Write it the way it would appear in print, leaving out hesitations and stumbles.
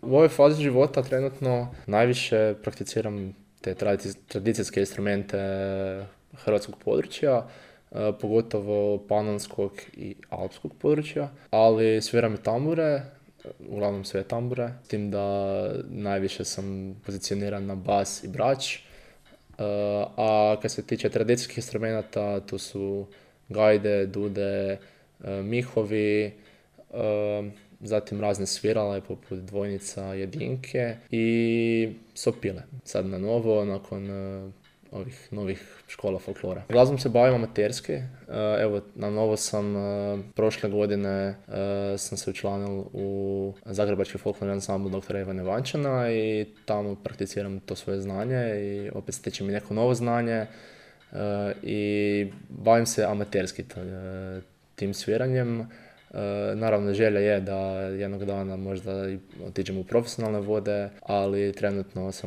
U ovoj fazi života trenutno najviše prakticiram te tradicijske instrumente hrvatskog područja, pogotovo panonskog i alpskog područja, ali sviram i tambure, uglavnom sve tambure, s tim da najviše sam pozicioniran na bas i brač, a kad se tiče tradicijskih instrumenta, tu su gajde, dude, mihovi, zatim razne svirale poput dvojnica, jedinke i sopile. Sad na novo, nakon ovih novih škola folklora. Glazbom se bavim amaterski. Evo, na novo sam prošle godine sam se učlanil u Zagrebački folklorni ansambl dr. Ivana Ivančana i tamo prakticiram to svoje znanje i opet stječem i neko novo znanje i bavim se amaterski tim sviranjem. Naravno, želja je da jednog dana možda otiđem u profesionalne vode, ali trenutno sam